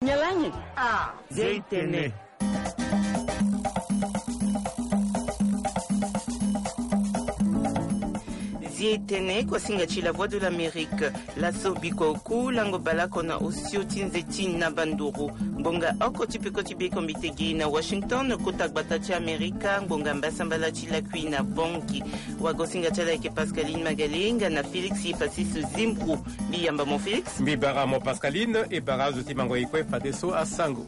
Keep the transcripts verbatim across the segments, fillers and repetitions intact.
Nyalangi. Ah, Zeitene. Zeitene. Kwa singa ti La Voix de l'Amérique. Laso bikua oku lango balako na osio ti nze ti na banduru. Ngbonga oko ti peko ti beko mbitegi na Washington, kota gbata ti Amerika, ngbonga mbasambala ti lakui na Bangui. Wagosinga ti ala eke Pascaline Magalenga na Félix Pasis Zimbru. Mbi yamba mo Félix. Mbi bara mo Pascaline, e bara azo ti mango e kue fadeso asango.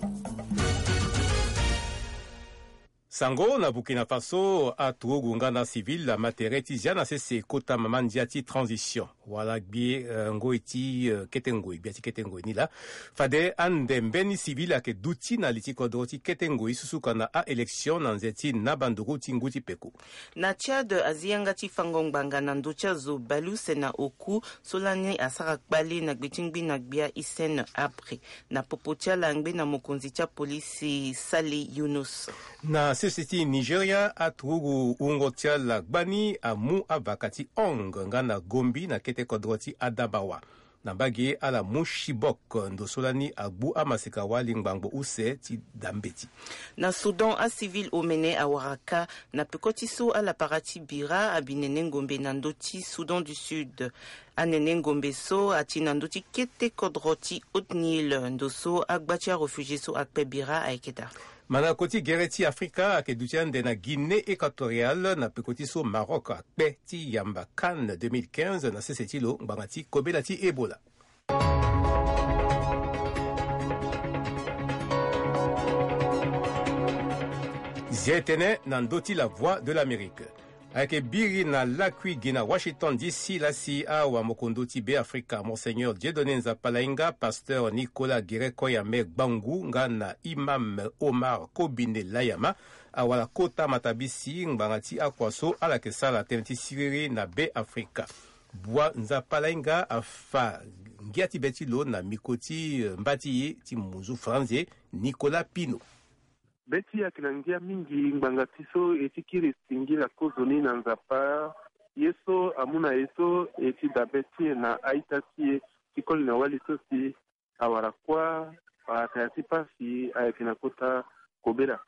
Sango na Burkina Faso, aturugu nga na civil ama tere ti zia na sese kota mama ndia ti transition. Wala gbie, eh, ngoi ti, eh, kete ngoi, gbia ti kete ngoi ni laa. Fade ande mbeni civil ayeke duti na li ti kodro ti kete ngoi susuka na a-élection na nze ti naba nduru ti ngu ti peko. Na Tchad, azi yanga ti fango ngbanga na ndö ti azo baleuse na oku, so lani asara kpale na gbe ti ngbi na gbia Hissène Habré. Na popo ti ala angbe na mokonzi ti apolisi Sale Yunus. Na sese ti Nigeria, aturugu wungo ti ala gbani amu avaka ti Hong nga na Gombe na kete kodro ti Adamawa. Na mbage ala mu Chibok, ndo so lani agbu amaseka wali ngbangbo use ti da mbeti. Na Soudan, acivil omene awara kâ na peko ti so ala para ti bira abi nene ngombe na ndö ti Soudan du Sud. Anene ngombe so ati na ndö ti kete kodro ti Haut-Nil, ndo so agba ti aréfugié so akpe bira ayeke daa. Mandako ti gere ti Afrika ayeke duti ande na Guinée Équatoriale na peko ti so Maroc akpe ti yamba CAN deux mille quinze na sese ti lo ngbanga ti kobela ti Ebola. Zi tene na ndö ti La Voix de l'Amérique. Ayeke biri na lakui gi na Washington D C laa si awamokondo ti Beafrika, Monseigneur Dieudonné Nzapalainga, pasteur Nicolas Guéret Koyame Gbangu nga na imam Omar Kobine Layama, awara kota matabisi ngbanga ti akua so ala yeke sara tënë ti siriri na Beafrika. Bua Nzapalainga afa ngia ti be ti lo na miko ti, eh, mba ti e ti munzu franze, Nicolas Pino. Be ti e ayeke na ngia mingi ngbanga ti so e ti kiri singila kozoni na Nzapa, ye so amu na e so e ti dabe ti e na a-ita ti e ti koli na wali so si awara kuâ, ataya ti pasi ayeke na kota kobela.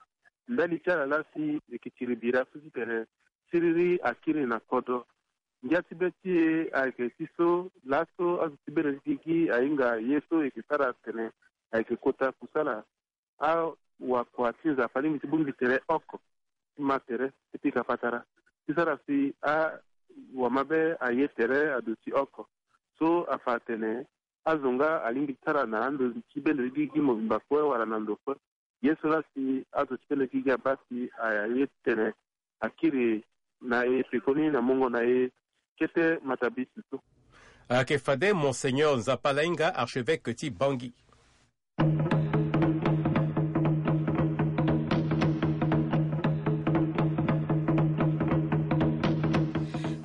Ndali ti ala laa si e yeke tiri bira so titene siriri akiri na kodro. Ngia ti be ti e ayeke ti so laso azo ti bendo ti gigi ahinga ye so e yeke sara atene ayeke kota kusala. Awakua ti Nzapa alingbi ti bongbi tere oko ti ma tere ti pika patara ti sara si awamabe aye tere aduti oko. So afa atene azo nga alingbi ti sara na ando ti bendo ti gigi mobimba kue wala na ndo kue. Ye so laa si azo ti bendo ti gigi abaa si aye tene akiri na e pekoni na mongo na e kete matabisi so. Ayeke fade Monseigneur Nzapalainga, archevêque ti Bangui.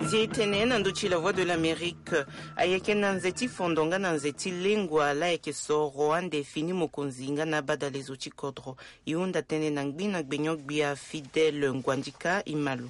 Zi tene na ndö ti La Voix de l'Amérique. Ayeke na nze ti fondo nga na nze ti lengua laa ayeke soro ande fini mokonzi nga na abadalezo ti kodro. E hunda tënë na ngbi na gbenyo-gbia Fidèle Nguandika, e ma lo.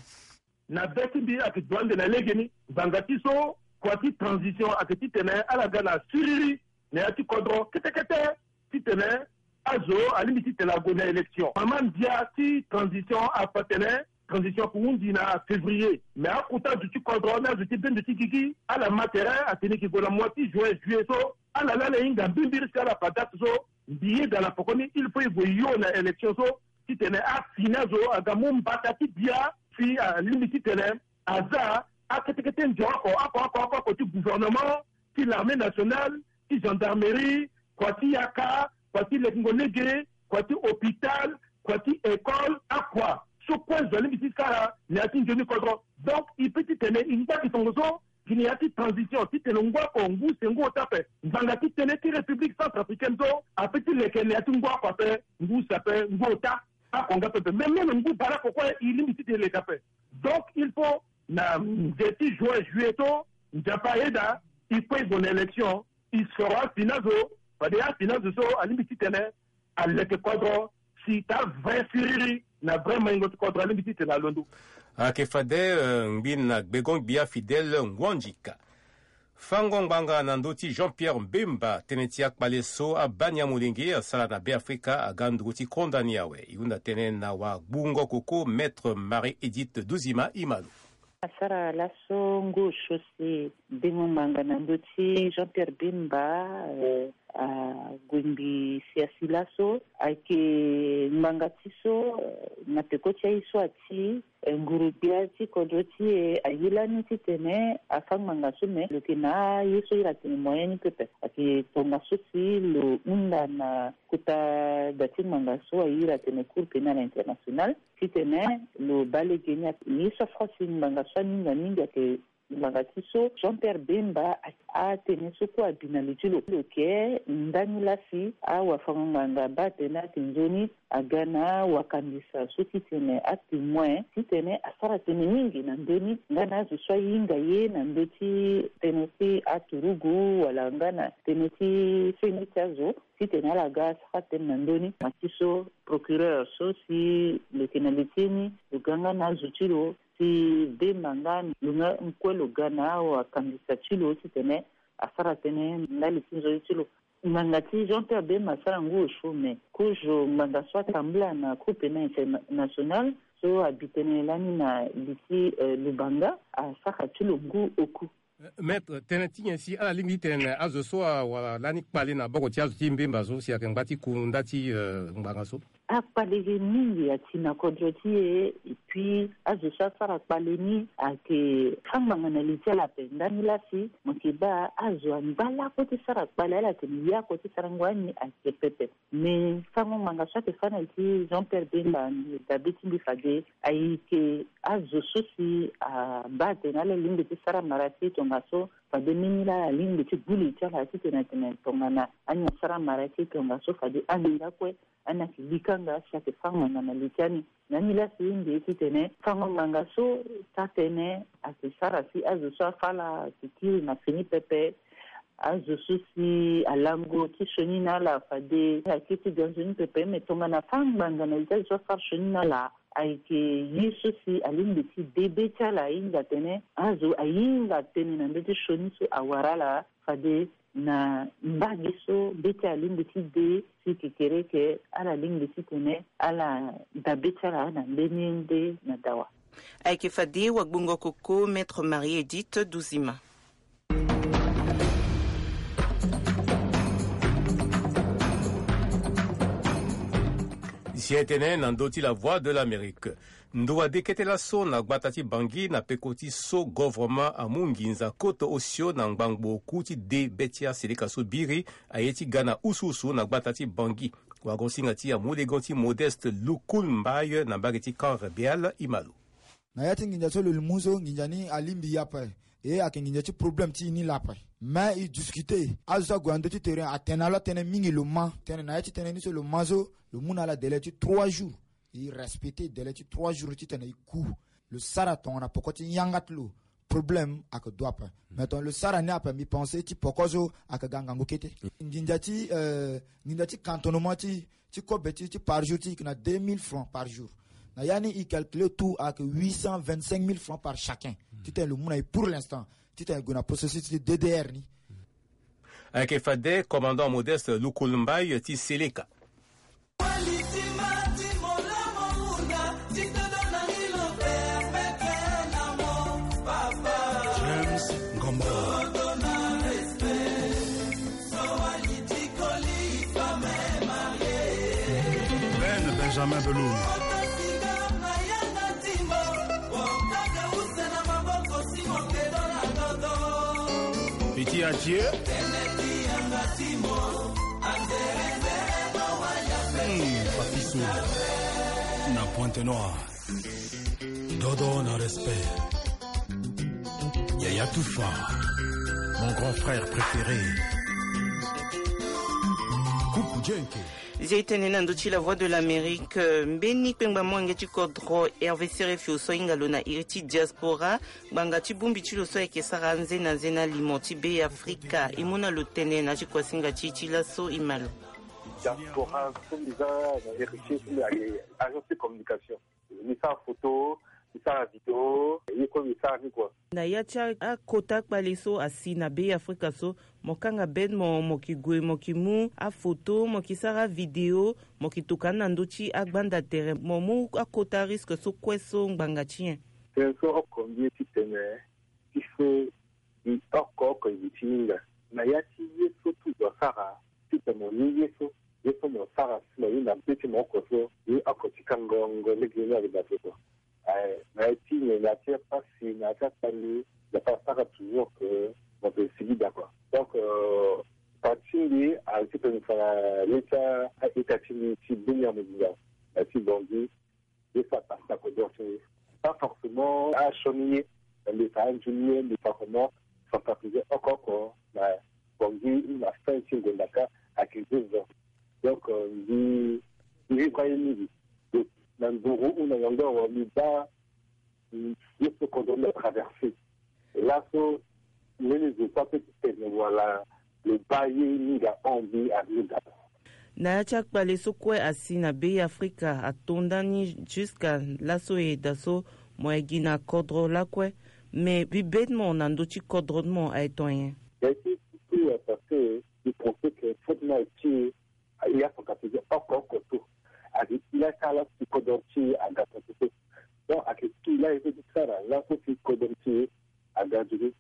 Na be ti mbi ayeke duti ande na legeni ngbanga ti so kua ti transition ayeke titene ala ga na siriri na ya ti kodro kete kete titene azo alingbi titene ague na élection. Mama ndia ti transition afa atene transition ahundi na février. Mais akota azo ti kodro na azo ti bendo ti gigi ala ma tere atene e yeke gue na mois ti juin, juillet so ala laa ala hinga mbimbiri si ala fa date so mbi yeda na pekoni il faut e gue yo na élection so titene afini azo aga mu mbata ti bia si alingbi titene aza akete kete ndio oko oko oko oko oko ti gouvernement, ti l'armée nationale, ti gendarmerie, kua ti yaka, kua ti lekengo lege, kua ti hôpital, kua ti école, akua so kue zo alingbi ti sara na ya ti nzoni kodro. Donc e peut titene e ngba gi tongaso gi na ya ti transition titene ngu oko ngu use ngu ota ape. Ngbanga ti tënë ti République centrafricaine so apeut ti leke na ya ti ngu oko ape, ngu use ape, ngu ota. Akonga pepe même même ngu baleoko kue e lingbi ti te leka ape. Donc il faut na nze ti juin, juillet so Nzapa ayeda e kue e gue na élection. E soro afini azo fade afini azo so alingbi titene aleke kodro si taa vrai siriri na vrai maingo ti kodro alingbi titene alondo. Ayeke fade, eh, ngbi na gbegon-gbia Fidèle Nguandika. Fango ngbanga na ndö ti Jean-Pierre Bemba, tënë ti akpale so abaa ni amolenge asara na Beafrika aga nduru ti konda ni awe. E hunda tënë na wagbungo koko Maître Marie Edith Duzima Imalo. Asara laso ngu osio si dengo ngbanga na ndö ti Jean-Pierre Bemba, eh, ague mbi si asi laso ayeke ngbanga ti so, eh, na peko ti aye so ati, eh, nguru-gbia ti kodro ti e aye lani titene afa ngbanga so, me lo yeke na aye so ira atene moyen ni pepe. Ayeke tongaso si lo hunda na kota da ti ngbanga so aye ira atene Cour pénale internationale titene lo baa lege ni. Aye so afâ si ngbanga so aninga mingi ayeke ngbanga ti so Jean-Pierre Bemba, a, atene so kue abi na li ti lo. Lo yeke ndani laa si awafango-ngbanga abaa tënë ayeke nzoni aga na wakambisa so titene atémoin titene asara tënë mingi na ndö ni nga na azo so ahinga ye na ndö ti tënë ti aturugu wala nga na tënë ti feni ti azo titene ala ga asara tënë na ndö ni. Ngbanga ti so procureur so si lo yeke na li ti ni, lo ga nga na azo ti lo si Bemba nga lo nga kue lo ga na awakambisa ti lo titene asara tënë ndali ti nzoni ti lo. Ngbanga ti Jean-Pierre Bemba asara ngu osio, me kozo ngbanga so atambula na Cour pénale internationale so abi tënë lani na li ti, eh, Lubanga, asara ti lo ngu oku. Eh, maître, tënë ti nyen si ala lingbi ti tene na azo so awara lani kpale na boko ti azo ti Bemba so si ayeke ngba ti ku nda ti, eh, ngbanga so? Akpale ge mingi ati na kodro ti e, et puis azo so asara kpale ni ayeke fa ngbanga na li ti ala ape. Ndani laa si mo yeke baa azo angba lakue ti sara kpale, ala yeke na ya oko ti sarango ani ayeke pepe. Me fango ngbanga so ayeke fâ na li ti Jean-Pierre Bemba, dabe ti mbi fade ayeke azo so si abaa atene ala lingbi ti sara mara ti tongaso, fade mbeni laa alingbi ti gbu li ti ala titene atene tongana ani asara mara ti tongaso fade ani nga kue, ani ayeke likanga si ayeke fâ ngbanga na li ti ani. Na ni laa si e nde titene fango ngbanga so taa tënë ayeke sara si azo so afâ ala ayeke kiri na fini pepe. Azo so si alango ti sioni na ala fade ayeke ti ga nzoni pepe, me tongana fâ ngbanga na li ti azo so afâ sioni na ala ayeke ye so si alingbi ti de be ti ala ahinga atene azo ahinga tënë na ndö ti sioni so awara ala. Fade na mbage so be ti ala alingbi ti de si kekereke, ala lingbi titene ala da be ti ala na mbeni nde na dawa. Ayeke fade wagbongo koko Maître Marie Edith Duzima. Si e tene na ndö ti La Voix de l'Amérique. Ndo wade kete laso na gbata ti Bangui na peko ti so govoroma amu nginza koto osio na ngbangbo oku ti de be ti aseleka so biri aye ti ga na usuusu na gbata ti Bangui. Wagosinga ti amulegon ti Modeste Lukul Mbaye na mbage ti Camp Rebeal Imalo. Na ya ti nginza so lo mu so nginza ni alingbi e ape. E ayeke nginza ti problème ti e ni laa ape. Mais e discuter azo so ague na ndö ti terrain atene na lo atënë mingi lo ma tënë na ya ti tënë ni so lo ma so lo mu na ala délai ti trois jours. E respecter délai ti trois jours titene e ku lo sara tongana poko ti yanga ti lo. Problème ayeke dua ape. Mais tongana lo sara ni ape, mbi pense ti poko so ayeke ga ngangu kete. Nginza ti, euh, nginza ti cantonnement ti ti kobe ti, ti par jour ti e yeke na deux mille francs par jour. Na ya ni e calculer tout ayeke huit cent vingt-cinq mille francs par chacun. Titene lo mu na e pour l'instant titene e gue na processus ti D D R ni. Ayeke fade commandant Modeste Lukul Mbaye ti Seleka. James Ngombo. Ben Benjamin Belou. Petit Adieu. Hmm, Papiso na Pointe-Noire. Dodo na respect. Yaya Tufa, mon grand frère préféré. Kuku Jenke. Zia e tene na ndö ti La Voix de l'Amérique, euh, mbeni kpengba molenge ti kodro Hervé Serefio so ahinga lo na iri ti diaspora, ngbanga ti bongbi ti lo so ayeke sara anze na anze na limo ti Be Afrika. E mu na lo tene na ti kuasinga ti e ti laso e ma lo. Diaspora so mbi za na héritier so mbi ayeke agence de communication. Mbi sara photo, Mbi sara video, ye kue mbi sara ni kua. Na ya ti akota kpale so asi na Be Afrika so, mo kanga bed mo, mo ki gue, mo ki mu afoto, mo ki sara video, mo ki tokua na ndö ti agbanda tere, mo mu akota risque so kue so ngbanga ti nyen? Tënë so oko mbi ye titene, ti so mbi oko oko e gi ti hinga. Na ya ti ye so ti zo asara, titene mo ni ye so, ye so mo sara si mo hinga be ti mo oko so, ye oko ti kango ngo lege ni ayeke daa so kua. Aye, na ya ti nyen, na ya ti apasi, na ya ti akpale, Nzapa asara toujours que mo peut sigi daa kua. Donc, euh, parti mbi a titene fa na le ti a-état ti mbi ti beni amuzinga, na ti Bangui, ye so apasi na kodro ti mbi. Pas forcément asioni ye, mbi fa anzoni ye, mbi fa comment, sensibiliser oko oko na Bangui ou na fin ti ngonda ka ayeke deux ans. Donc, euh, mbi, mbi vivre ye mingi. Donc, na nduru ou na nyangoro, mbi baa, mbi, ye so kodro mbi atraverser. Laso, mbeni zo so ape ti tene wala lo baa ye mingi ahon mbi ahinga. Na ya ti akpale so kue asi na Be Afrika ato ndani jusqu'à laso e daa so, mo ye gi na kodro lakue. Mais mbi be ti mo na ndö ti kodro ti mo aye ton nyen? Ya ti surtout parce que mbi pense que faut ti na ti e, aye afa ka ti oko oko so. Ayeke ti la ti ala ti kodro ti e aga so so. Donc ayeke ti la e so ti sara laso ti kodro ti e aga nzoni.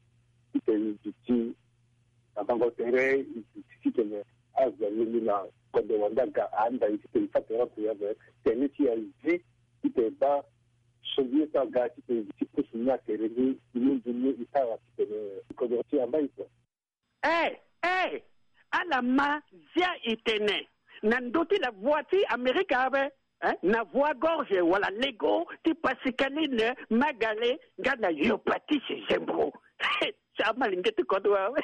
Titene e duti na bango tere, e duti titene azo alingbi na kodro wande aga, ahanda e titene e fa tere ape ape. Tene ti e azi titene e baa so mbi ye so aga titene e duti pusu ni na tere ni, e mu nzoni ni e sara titene kodro ti e ambai kua. Eh, eh, ala ma zia e tene na ndö ti la voix ti Amerika ape, eh, na voix gorge wala lego ti Pascaline Magale nga na Yopatisi Zembo. Sa malenge ti kodro awe.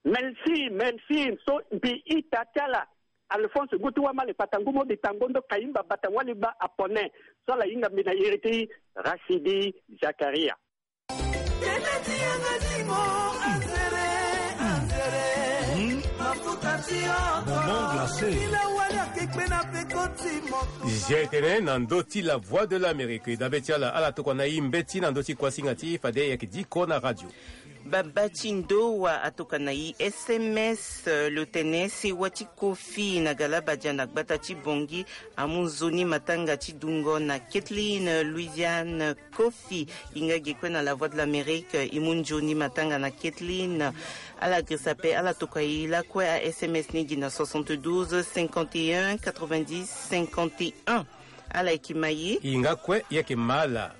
Merci, merci. So mbi ita ti ala. Alphonse Ngutu Wamale Kpatangu Modi Tangondo Kayimba Bata Waliba Apone. So ala hinga mbi na iri ti Rachidi Zakaria. Bonbon glacé. Zia e tene na ndö ti la Voix de l'Amérique. E dabe ti ala, ala tokua na e mbeti na ndö ti kuasinga ti e, fade e yeke diko na radio. Baba ti ndo wa atokua na e S M S, euh, lo tene sewa ti Kofi na Galabadia na gbata ti Bangui amu nzoni matanga ti dungo na Kathleen, euh, Louisiane Kofi. E nga ge kue na la Voix de l'Amérique, e mu nzoni matanga na Kathleen. Ala girisa ape, ala tokua e lakue a S M S ni gi na soixante-douze cinquante et un quatre-vingt-dix cinquante et un. Ala yeke ma e. E nga kue e yeke ma ala.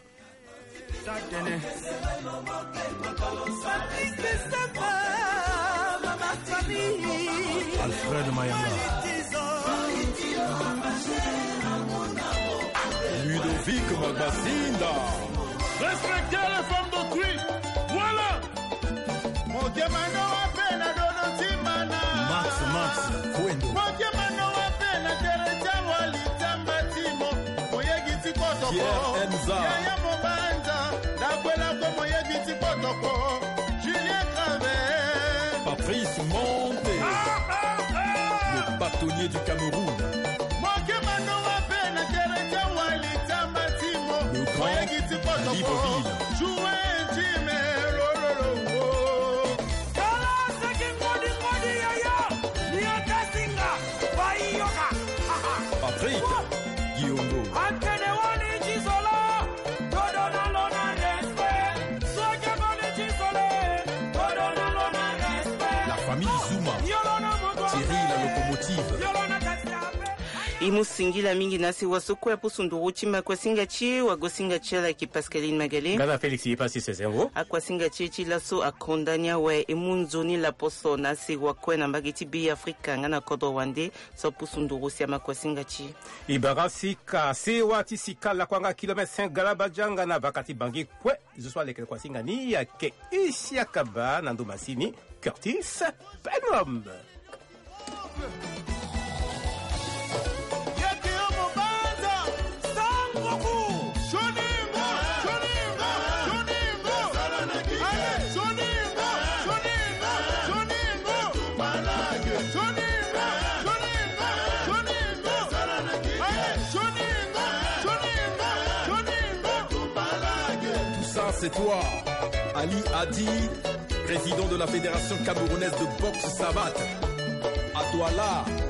Alfred Mayanga. Ludovic Magbasinda. Respectez les femmes d'autrui. Voilà. Mokemano wape na dodo timana. Max, Max, Kwendo. Mokemano wape na tere tia wali tamba timo. Moyegi ti kotoko. Pierre Enza. Yaya Mobanza. Dakwela ko moyegi ti kotoko. Julien Gravel. Patrice Monte. Ah, ah, ah. Le bâtonnier du Cameroun. Mokemano wape na tere tia wali tamba timo. Le grand Moyegi ti kotoko. Libreville. Joue un time, lo, lo, lo, oh. Kala seki ngodi ngodi yaya, ni atasinga, bayi yoka. Patrick Guillaume. Antene wani ti zolo, todo na lo na respect. Soki ngodi ti zolo, todo na lo na respect. La famille Zuma. Yolo na moto. Thierry la locomotive. Yolo na taxi ape. E mu singila mingi na sewa so kue apusu nduru ti makuasinga ti e, wagosinga ti ala ayeke Pascaline Magale. Nga na Félix Yepasi Sezengo. Akuasinga ti e ti laso akonda ni awe, e mu nzoni laposo na sewa kue na mbage ti Be Afrika nga na kodro wande so apusu nduru si amakuasinga ti e. E bara sika, sewa ti sika lakua nga kilomètre cinq Galabadia nga na vaka ti Bangui kue. Zo so aleke na kuasinga ni ayeke Isiaka Ba na ndo masini Curtis Penum. C'est toi, Ali Hadi, président de la Fédération camerounaise de boxe savate. À toi là.